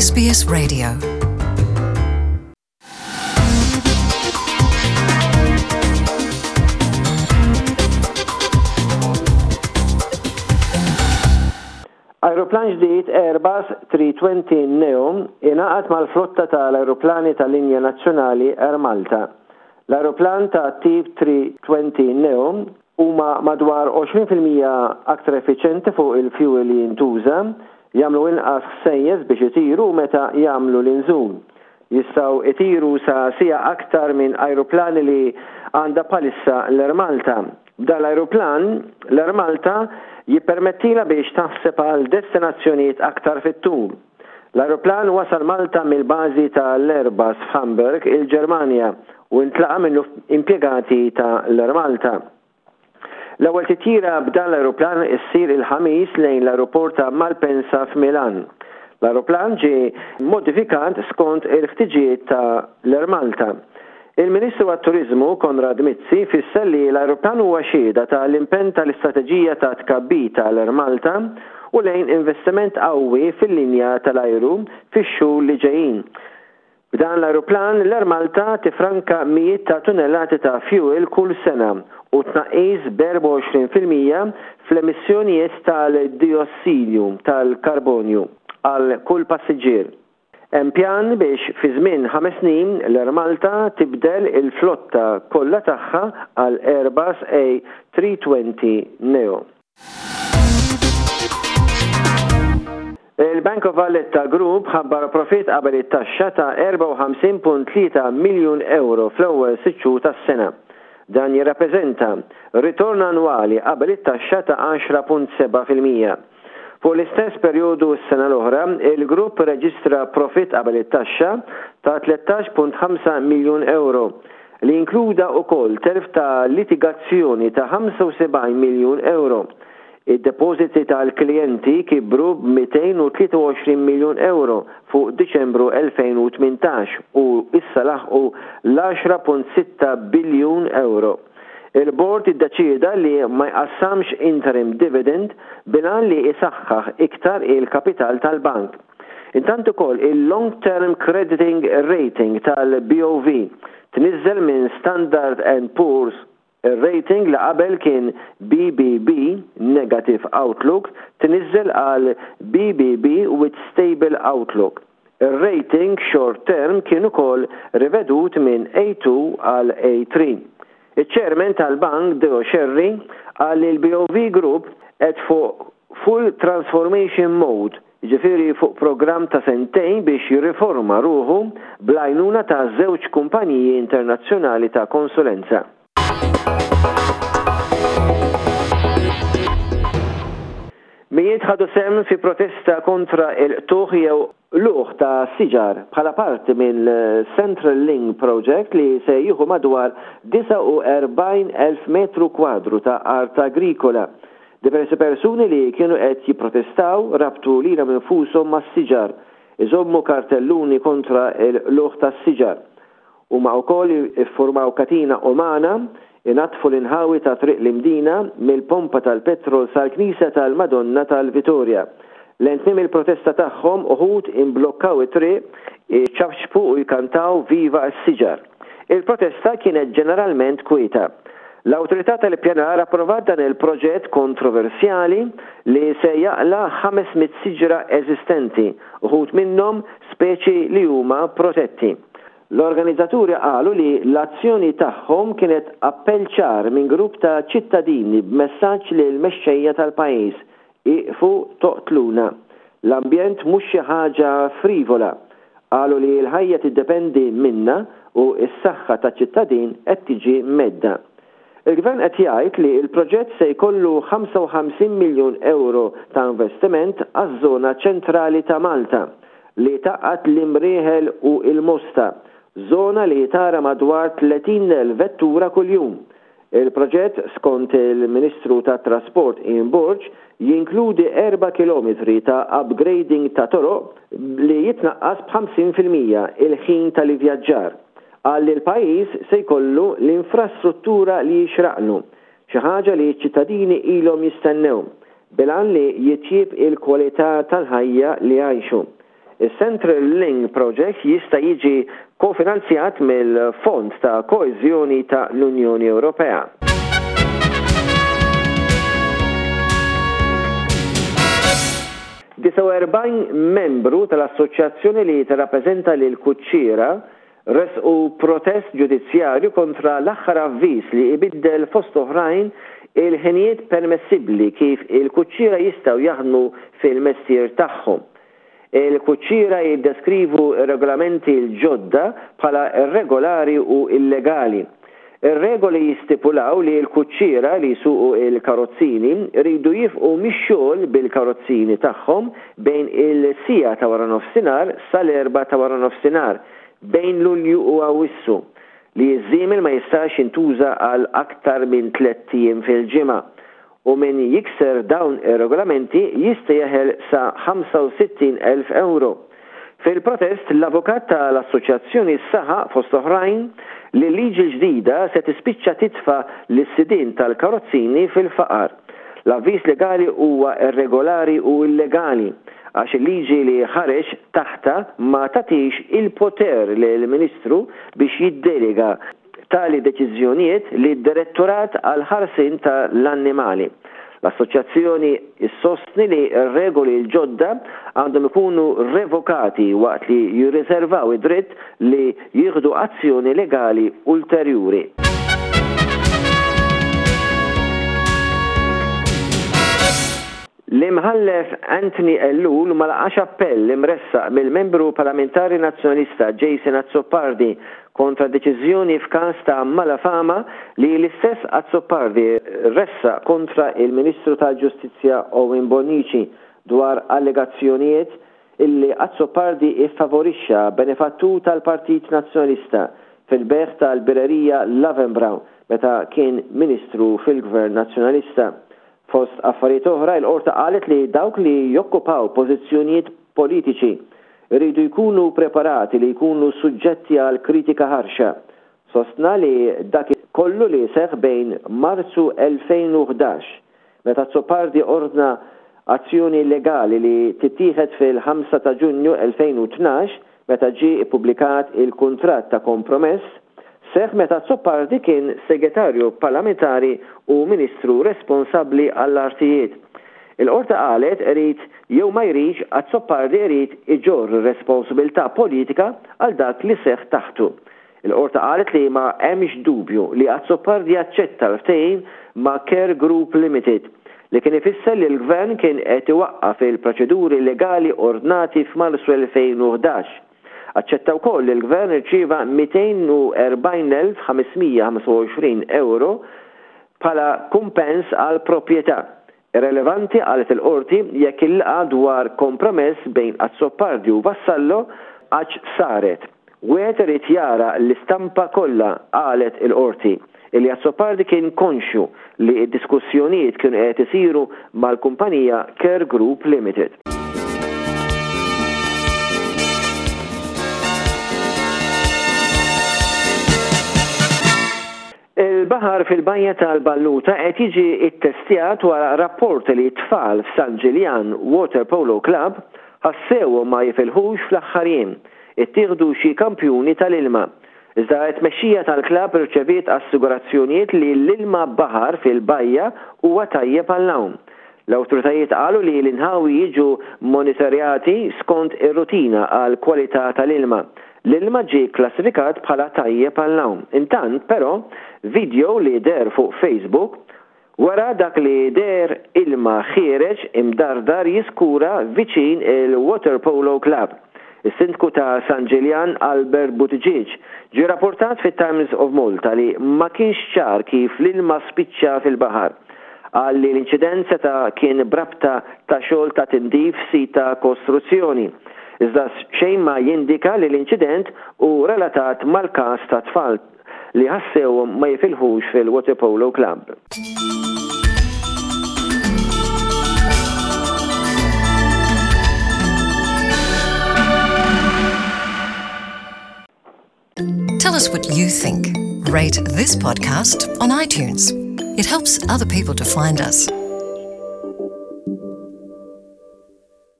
SBS Radio. Ajruplan ġdid Airbus 320 Neo ingħaqad mal-flotta tal-ajruplani tal-linja nazzjonali Air Malta. L-ajruplan ta' tip 320 Neo huma madwar 20% aktar effiċjenti fuq il-fjuwil li jintuża, jagħmlu inqas ħsejjes biex itiru u meta jagħmlu l-inżul. Jistgħu jtiru sa siegħa aktar minn ajruplani li għandha bħalissa l-Air Malta. B'dan l-ajruplan, l-Air Malta jippermettilha biex taħseb għal destinazzjonijiet aktar fit-tul. L-ajruplan wasal Malta mill-bażi ta' l-Airbus f'Hamburg, il-Ġermanja, u ntlaqa' minnu impjegati ta' l-Air Malta. L-ewwel titjira b'dan l-ajruplan issir il-Ħamis lejn l-ajruport ta' Malpensa f'Milan. L-ajruplan ġie modifikat skont il-ħtiġijiet ta' l-Air Malta. Il-Ministru għat-Turiżmu, Konrad Mizzi, fisser li l-ajruplan huwa xhieda ta' l-impenn tal-istrateġija ta' tkabbir ta' l-Air Malta u lejn investiment qawwi fil-linja tal-ajru fix-xhur li ġejjin. B'dan l-ajruplan, l-Air Malta tiffranka mijiet ta' tunellati ta' fjuwil kull sena u tnaqqis b'24% fl-emissjonijiet tal-dijossidju tal-karbonju għal kull passiġġier. Hemm pjan biex fi żmien ħames snin l-Air Malta tibdel il-flotta kollha tagħha għal Airbus A320 neo. Il-Bank of Valletta Group ħabbar profitt qabel it-taxxa ta' 54.3 miljun ewro fl-ewwel sitt xhur tas-sena. Dan jirrappreżenta ritorn annwali qabel it-taxxa ta' 10.7%. Fuq l-istess perjodu s-sena l-oħra, il-grupp irreġistra profitt qabel it-taxxa ta' 13.5 miljun ewro, li inkluda wkoll telf ta' litigazzjoni ta' 75 miljun ewro. Id-depożiti tal-klijenti kibru b'223 miljun ewro fuq Diċembru 2018 u issa laħqu l-10.6 biljun ewro. Il-Bord iddeċieda li ma jqassamx interim dividend bil-għan li jsaħħaħ iktar il-kapital tal-bank. Intant ukoll il-long term crediting rating tal-BOV tniżżel minn Standard and Poor's ir-rating li qabel kien BBB negative outlook tniżżel għal BBB with stable outlook. Ir-rating short term kien ukoll rivedut minn A2 għal A3. Iċ-Chairman tal-Bank Deo Scerri qal li l-BOV Group qed fuq full transformation mode, jiġifieri fuq programm ta' sentejn biex jirriforma ruħu bl-għajnuna ta' żewġ kumpaniji internazzjonali ta' konsulenza. Mijiet ħadu sehem fi protesta kontra il-qtugħ jew qlugħ ta' siġar bħala parti minn Central Link Project li se jieħu madwar 49,000 metru kwadru ta' art agrikola. Diversi persuni li kienu qed jipprotestaw rabtu lilhom infushom mas-siġar, iżommu kartelluni kontra l-qlugħ tas-siġar. Huma wkoll iffurmaw katina umana, inaddfu l-inħawi ta' Triq l-Imdina, mill-pompa tal-petrol sal-Knisja tal-Madonna tal-Vitorja. Lejn tmiem il-protesta tagħhom, uħud imblokkaw it-triq, iċapċpu u jkantaw Viva s-siġar. Il-protesta kienet ġeneralment kwieta. L-Awtorità tal-Ippjanar approvat dan il-proġett kontroversjali li se jaqla' 500 siġra eżistenti, uħud minnhom speċi li huma protetti. L-organizzaturi qalu li l-azzjoni tagħhom kienet appell ċar minn grupp ta' ċittadini b'messaġġ lill-mexxejja tal-pajjiż, Ieqfu toqtluna. L-ambjent mhux xi ħaġa frivola. Qalu li l-ħajja tiddependi minna u s-saħħa taċ-ċittadin qed tiġi mhedda. Il-Gvern qed jgħid li l-proġett se jkollu 55 miljun ewro ta' investiment għaż-żona ċentrali ta' Malta, li tgħaqqad l-Imrieħel u l-Mosta, żona li tara madwar 30,000 vettura kuljum. Il-proġett, skont il-Ministru tat-Trasport Ian Borg, jinkludi erba' kilometri ta' upgrading ta' toroq li jitnaqqas b'50% il-ħin tal-ivvjaġġar. Qal li l-pajjiż se jkollu l-infrastruttura li jixraqlu, xi ħaġa li ċ-ċittadini ilhom jistennew, bil-għan li jitjieb il-kwalità tal-ħajja li jgħixu. Is-Central Link Project jista' jiġi kofinanzjat mill-Fond ta' Koeżjoni ta' l-Unjoni Ewropea. 49 membru tal-assoċjazzjoni li tirrappreżenta lill-kuċċiera ressqu protest ġudizzjarju kontra l-aħħar avviż li ibiddel fost oħrajn il-ħinijiet permessibbli kif il-kuċċiera jistgħu jaħdmu fil-mestier tagħhom. Il-kuċċiera jiddeskrivu r-regolamenti l-ġodda bħala irregolari u illegali. Ir-regoli jistipulaw li l-kuċċiera li jsuqu l-karozzini jridu jifqu mix-xogħol bil-karozzini tagħhom bejn il-siegħa ta' waranofsinhar sal-erbgħa ta' waranofsinhar bejn Lulju u Awwissu, li ż-żiemel ma jistax jintuża għal aktar minn tlett ijiem fil-ġimgħa u min jikser dawn ir-regolamenti jista' jeħel sa 65,000 ewro. Fil-protest, l-avukat ta' l-assoċjazzjoni saħaq fost oħrajn li l-liġi l-ġdida se tispiċċa titfa' lis-sidien tal-karozzini fil-faqar. L-avviż legali huwa irregolari u illegali għax il-liġi li ħareġ taħtha ma tagħtix il-poter lill-Ministru biex jiddelega tali deċiżjonijiet lid-Direttorat għall-Ħarsien ta' l-Annimali. L-Assoċjazzjoni ssostni li r-regoli l-ġodda għandhom ikunu revokati waqt li jirriservaw id-dritt li jieħdu azzjoni legali ulterjuri. L-Imħallef Anthony Ellul ma laqax appell imressaq mill-Membru Parlamentari Nazzjonalista Jason Azzopardi kontra deċiżjoni f'każ ta' malafama li l-istess Azzopardi ressaq kontra il-Ministru tal-Ġustizzja Owen Bonnici dwar allegazzjonijiet illi Azzopardi iffavorixxa benefattur tal-Partit Nazzjonalista fil-bejgħ tal-birrerija Löwenbräu meta kien Ministru fil-Gvern Nazzjonalista. Fost affarijiet oħra, il-Qorti qalet li dawk li jokkupaw pożizzjonijiet politiċi jridu jkunu preparati li jkunu suġġetti għal kritika ħarxa. Sostna li dak kollu li seħħ bejn Marzu 2011, meta Azzopardi ordna azzjoni legali li tittieħed fil-5 ta' Ġunju 2012 meta ġie ppubblikat il-kuntratt ta' kompromess, seħħ meta Azzopardi kien Segretarju Parlamentari u Ministru responsabbli għall-Artijiet. Il-Qorti qalet irid jew ma jridx Azzopardi irid iġorr ir-responsabilità politika għal dak li seħħ taħtu. Il-Qorti qalet li ma hemmx dubju li Azzopardi aċċetta l-ftehim ma' Care Group Limited, li kien ifisser li l-Gvern kien qed iwaqqaf il-proċeduri legali ordnati f'Marzu 2011. Aċċetta wkoll li l-Gvern irċieva 240,525 ewro bħala kumpens għall-proprjetà. Irrelevanti, qalet il-Qorti, jekk il-laqgħa dwar kompromess bejn Azzopardi u Vassallo għadx saret. Wieħed irid jara l-istampa kollha, qalet il-Qorti, illi Azzopardi kien konxju li d-diskussjonijiet kienu qed isiru mal-kumpanija Care Group Limited. Il-baħar fil-Bajja tal-Balluta qed jiġi ttestjat wara rapporti li t-tfal f'San Ġiljan Waterpolo Club ħassewhom ma jifilħux fl-aħħar jiem. Ittieħdu xi kampjuni tal-ilma. Iżda t-tmexxija tal-klabb irċeviet assigurazzjonijiet li l-ilma baħar fil-bajja huwa tajjeb għall-għawm. L-awtoritajiet qalu li l-inħawi jiġu monitorjati skont ir-rutina għall-kwalità tal-ilma. L-ilma ġie kklassifikat bħala tajjeb għall-għawm. Intant, però, video li deher fuq Facebook wera dak li deher ilma ħiereġ imdardar jiskura viċin il-Waterpolo Club. Is-Sindku ta' San Ġiljan Albert Buttigieg ġie rapportat fit-Times of Malta li ma kienx ċar kif l-ilma spiċċa fil-baħar. Qal li l-inċident seta' kien b'rabta ta' xogħol ta' tindif f'sit ta' kostruzzjoni. Iżda xejn ma jindika li l-inċident hu relatat mal-każ ta' tfal li ħassewhom ma jifilħux fil-Waterpolo Club. Tell us what you think. Rate this podcast on iTunes. It helps other people to find us.